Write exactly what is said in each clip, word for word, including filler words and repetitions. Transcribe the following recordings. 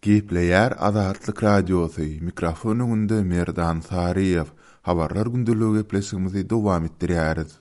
Gepleýär Azatlyk Radiosy, mikrofon öňünde Merdan Saryýew. Habarlar gündeligi gepleşigimizi dowam etdirýäris.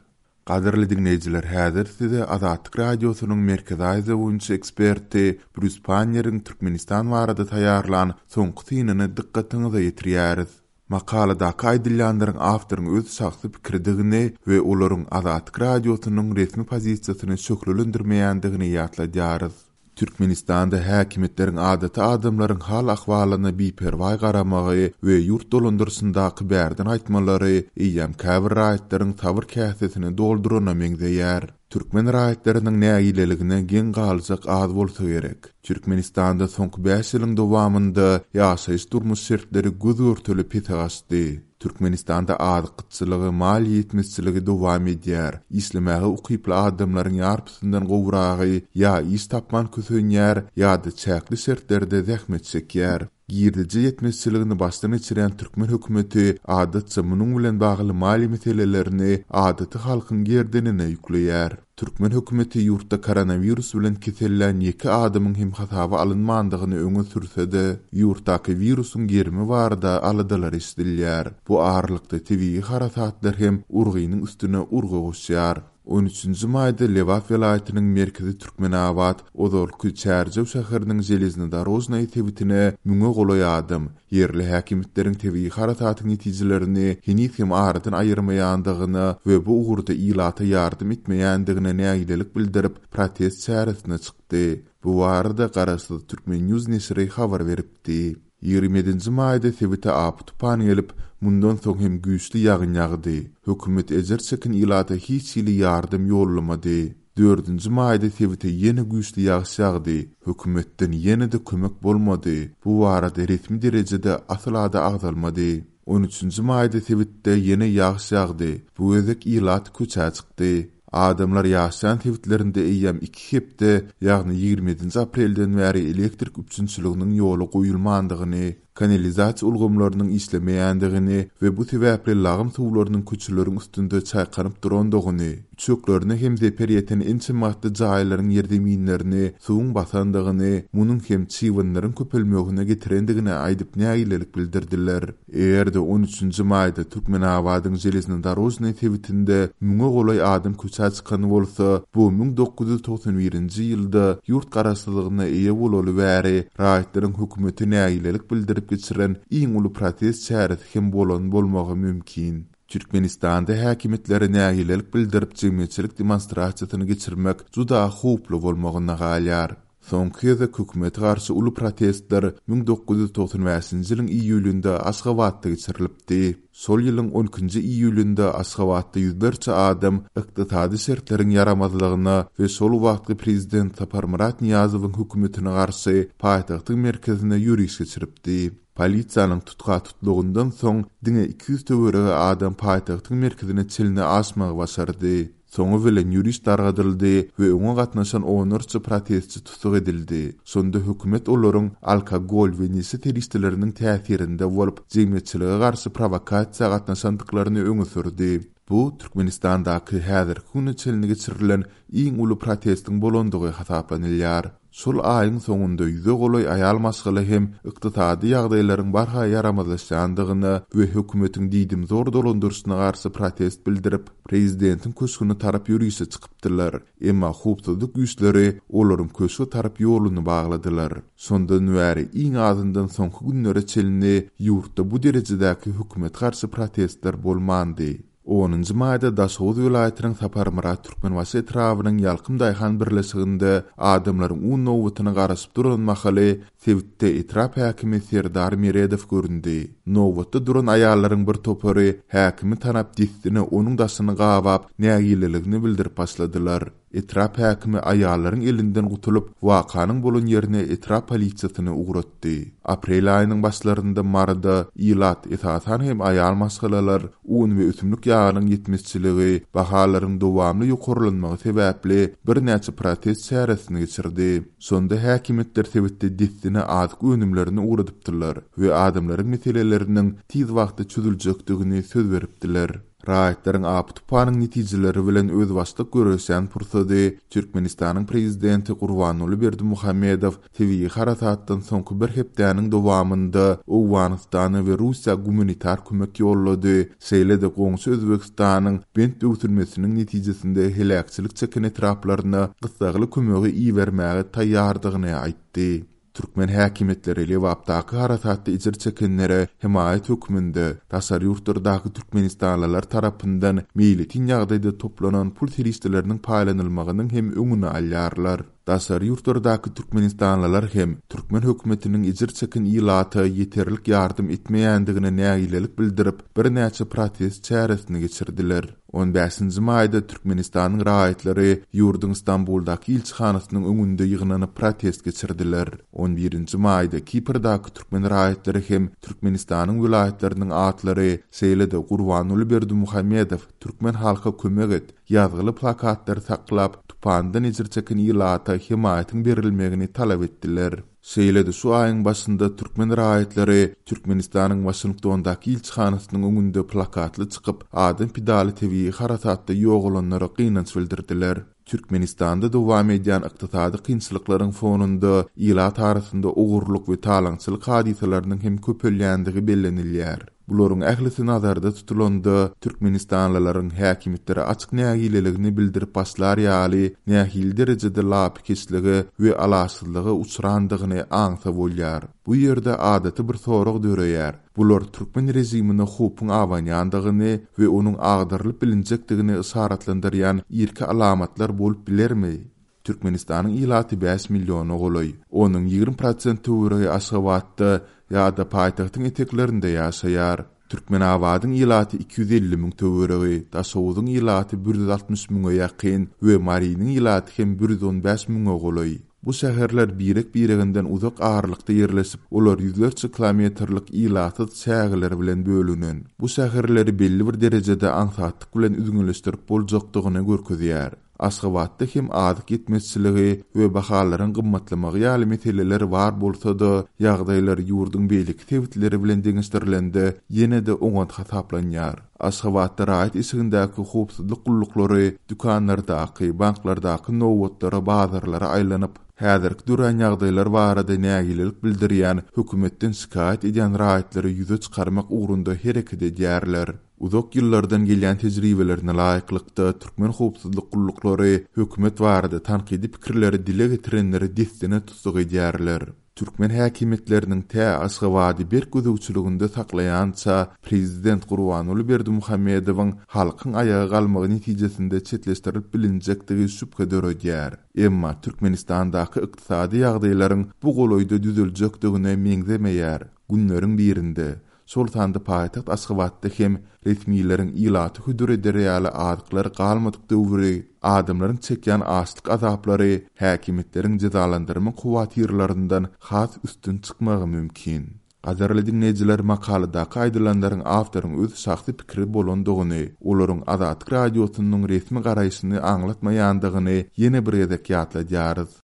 Gadyrly diňleýjiler, häzir size Azatlyk Radiosynyň Merkezi Aziýa boýunça eksperti Brýus Panneriň Türkmenistan barada taýýarlan soňky synyny dykgatyňyza ýetirýäris. Makaladaky aýdylýanlaryň awtoryň öz şahsy pikiridigini we olaryň Azatlyk Radiosynyň resmi pozisiýasyny şöhlelendirmeýändigini ýatladýarys. Türkmenistanda häkimiýetleriň adaty adamlaryň hal-ahwalyna biperwaý garamagy we ýurt dolandyryşyndaky bärden aýtmalary eýýäm käbir raýatlaryň sabyr käsesini doldurana meňzeýär. Türkmen raýatlarynyň nägileligine geň galjak az bolsa gerek. Türkmenistanda soňky bäş ýylyň dowamynda ýaşaýyş durmuş şertleri göz görteli pese gaçdy. Türkmenistanda azyk gytçylygy, maliýe ýetmezçiligi dowam edýär. Işlemäge ukyply adamlaryň ýarpysyndan gowragy ýa iş tapman kösenýär ýa-da çäkli şertlerde zähmet çekýär. Girdeji ýetmezçiligini başdan geçirýän türkmen hökümeti adatça munuň bilen bagly maliýe meselelerini adaty halkyň gerdenine ýükleýär. Türkmen hökümeti ýurtda koronawirus bilen kesellän ýeke adamyň hem hasaba alynmandygyny öňe sürse-de, ýurtdaky wirusyň gerimi barada aladalar eşidilýär. Bu aralykda tebigy harasatlar hem urgynyň üstüne urgy goşýar. on üçünji maýda Lebap welaýatynyň merkezi Türkmenabat, ozalky Çärjew şäheriniň Železnodorožnoý sebitine müňe golaý adam, ýerli häkimiýetleriň tebigy harasatyň netijelerini heniz hem aradan aýyrmaýandygyna we bu ugurda ilata ýardam etmeýändigine nägilelik bildirip protest çäresine çykdy. Bu barada Garaşsyz Türkmen News neşiri habar beripdi. ýigrimi ýedinji maýda sebite apy tupan gelip, mundan soň hem güýçli ýagyn ýagdy. Hökümet ejir çeken ilata hiç hili ýardam ýollamady. Dördünji maýda sebite ýene güýçli ýagyş ýagdy. Hökümetden ýene-de kömek bolmady. Bu barada resmi derejede asyl-da agzalmady. on üçünji maýda sebitde ýene ýagyş ýagdy. Bu gezek ilat köçä çykdy. Adamlar ýaşaýan sebitlerinde eýýäm iki hepde, ýagny ýigrimi ýedinji aprelden bäri elektrik üpjünçiliginiň ýola goýulmandygyny, kanalizasiýa ulgamlarynyň işlemeýändigini we bu sebäpli lagym suwlarynyň köçeleriň üstünde çaýkanyp durandygyny, üçeklerine hem zeper ýeten ençeme gatly jaýlaryň ýerzeminlerini suwuň basandygyny, munuň hem çybynlaryň köpelmegine getirendigini aýdyp nägilelik bildirdiler. Eger-de on üçünji maýda Türkmenabadyň Železnodorožnoý sebitinde müňe golaý adam köçä çykan bolsa, bu müň dokuz ýüz togsan birinji ýylda ýurt garaşsyzlygyna eýe bolaly bäri raýatlaryň hökümete nägilelik bildirip geçiren iň uly protest çäresi hem bolan bolmagy mümkin. Türkmenistanda häkimiýetlere nägilelik bildirip jemgyýetçilik demonstrasiýasyny geçirmek juda howply bolmagyna galýar. Soňky gezek hökümete garşy uly protestler müň dokuz ýüz togsan bäşinji ýylyň iýulynda Aşgabatda geçirilipdi. Şol ýylyň on ikinji iýulynda Aşgabatda ýüzlerçe adam ykdysady şertleriň ýaramazlygyna we şol wagtky prezident Saparmyrat Nyýazowyň hökümetine garşy paýtagtyň merkezine ýöriş geçiripdi. Polisiýanyň tutga tutlugyndan soň diňe iki ýüz töweregi adam paýtagtyň merkezine çenli aşmagy başardy. Soňy bilen ýöriş dargadyldy we oňa gatnaşan onlarça protestçi tutuk edildi. Şonda hökümet olaryň alkogol we neşe serişdeleriniň täsirinde bolup, jemgyýetçilige garşy provokasiýa gatnaşandyklaryny öňe sürdi. Bu Türkmenistandaky häzirki güne çenli geçirilen iň uly protestiň bolandygy hasaplanylýar. Şol aýyň soňunda ýüze golaý aýal maşgala hem ykdysady ýagdaýlaryň barha ýaramazlaşýandygyna we hökümetiň diýdimzor dolandyryşyna garşy protest bildirip, prezidentiň köşgüne tarap ýörişe çykypdylar. Emma howpsuzlyk güýçleri olaryň köşge tarap ýoluny bagladylar. Şondan bäri iň azyndan soňky günlere çenli ýurtda bu derejedäki hökümet garşy protestler bolmandy. Onunjy maýda Daşoguz welaýatynyň Saparmyrat Türkmenbaşy etrabynyň Ýalkym Daýhan birleşiginde adamlaryň un nobatyna garaşyp duran mahaly sebitde etrap häkimi Serdar Meredow göründi. Nobatda duran aýallaryň bir topary häkimi tanap dessine onuň daşyny gabap nägileligini bildirip başladylar. Etrap häkimi aýallaryň elinden gutulyp, wakanyň bolan ýerine etrap polisiýasyny ugratdy. Aprel aýynyň başlarynda Maryda ilat, esasan hem aýal maşgalalar, un we ösümlik ýagynyň ýetmezçiligi, bahalaryň dowamly ýokarlanmagy sebäpli birnäçe protest çäresini geçirdi. Şonda häkimiýetler sebitde dessine azyk önümlerini ugradypdylar we adamlaryň meseleleriniň tiz wagtda çözüljekdigini söz beripdiler. Raýatlaryň apy-tupanyň netijeleri bilen özbaşdak göreşýän pursady Türkmenistanyň prezidenti Gurbanguly Berdimuhamedow tebigy harasatdan soňky bir hepdäniň dowamynda Owganystana we Russiýa gumanitar kömek ýollady, şeýle-de goňşy Özbegistanyň bent böwsülmesiniň netijesinde heläkçilik çeken etraplaryna gyssagly kömegi ibermäge taýýardygyny aýtdy. Türkmen häkimiýetleri Lebapdaky harasatda ejir çekenlere hemaýat hökmünde daşary ýurtlardaky türkmenistanlylar tarapyndan meýletin ýagdaýda toplanan pul serişdeleriniň paýlanylmagynyň hem öňüni alýarlar. Daşary ýurtlardaky türkmenistanlylar hem türkmen hökümetiniň ejir çeken ilata ýeterlik ýardam etmeýändigine nägilelik bildirip, birnäçe protest çäresini geçirdiler. On bäşinji maýda Türkmenistanyň raýatlary ýurduň Stambuldaky ilçihanasynyň öňünde ýygnanyp protest geçirdiler. On birinji maýda Kiprdaky türkmen raýatlary hem Türkmenistanyň welaýatlarynyň atlary, şeýle-de Gurbanguly Berdimuhamedow Türkmen halka kömek et ýazgyly plakatlary saklap, tupandan ejir çeken ilata hemaýatyň berilmegini talap etdiler. Şeýle-de şu aýyň başynda türkmen raýatlary Türkmenistanyň Waşingtondaky ilçihanasynyň öňünde plakatly çykyp, adam pidaly tebigy harasatda ýogalanlara gynanç bildirdiler. Türkmenistanda dowam edýän ykdysady kynçylyklaryň fonunda ilat arasynda ogurlyk we talaňçylyk hadysalarynyň hem köpelýändigi bellenilýär. Bularyň ählisi nazarda tutulanda türkmenistanlylaryň häkimiýetlere açyk nägileligini bildirip başlar ýaly nähili derejede lapykeçlige we alaçsyzlyga uçrandygyny aňsa bolýar. Bu ýerde adaty bir sorag döreýär. Bular türkmen režimine howpuň abanýandygyny we onuň agdarylyp bilinjekdigini yşaratlandyrýan irki alamatlar bolup bilermi? Türkmenistanyň ilaty bäş milliona golaý. Onuň ýigrimi prosent töweregi Aşgabatda ýa-da paýtagtyň eteklerinde ýaşaýar. Türkmenabadyň ilaty iki ýüz elli müň töweregi, Daşoguzyň ilaty bir ýüz altmyş müňe ýakyn we Marynyň ilaty hem bir ýüz on bäş müňe golaý. Bu şäherler birek-bireginden uzak aralykda ýerleşip, olar ýüzlerçe kilometrlik ilatsyz çägeler bilen bölünen. Bu şäherleri belli bir derejede aňsatlyk bilen üzňeleşdirip boljakdygyny görkezýär. Aşgabatda hem azyk ýetmezçiligi we bahalaryň gymmatlamagy ýaly meseleler bar bolsa-da, ýagdaýlar ýurduň beýleki sebitleri bilen deňeşdirilende ýene-de oňat hasaplanýar. Aşgabatda raýat eşigindäki howpsuzlyk gulluklary dükanlardaky, banklardaky nobatlara, bazarlara aýlanyp, häzirki dörän ýagdaýlar barada nägilelik bildirýän, hökümetden şikaýat edýän raýatlary ýüze çykarmak ugrunda hereket edýärler. Uzak ýyllardan gelýän tejribelerine laýyklykda türkmen howpsuzlyk gulluklary hökümet barada tankydy pikirleri dile getirenleri dessine tussag edýärler. Türkmen häkimiýetleriniň tä Aşgabady berk gözegçiliginde saklaýança prezident Gurbanguly Berdimuhamedowyň halkyň aýaga galmagy netijesinde çetleşdirilip bilinjekdigi şübhe döredýär. Emma Türkmenistandaky ykdysady ýagdaýlaryň bu golaýda düzeljekdigine meňzemeýär. Günleriň birinde, şol sanda paýtagt Aşgabatda hem resmileriň ilaty hödür eder ýaly azyklar galmadyk döwri, adamlaryň çekýän açlyk azaplary häkimiýetleriň jezalandyrmak howatyrlaryndan has üstün çykmagy mümkin. Gadyrly diňleýjiler, makaladaky aýdylanlaryň awtoryň öz şahsy pikiri bolandygyny, olaryň Azatlyk radiosynyň resmi garaýşyny aňlatmaýandygyny ýene bir gezek ýatladýarys.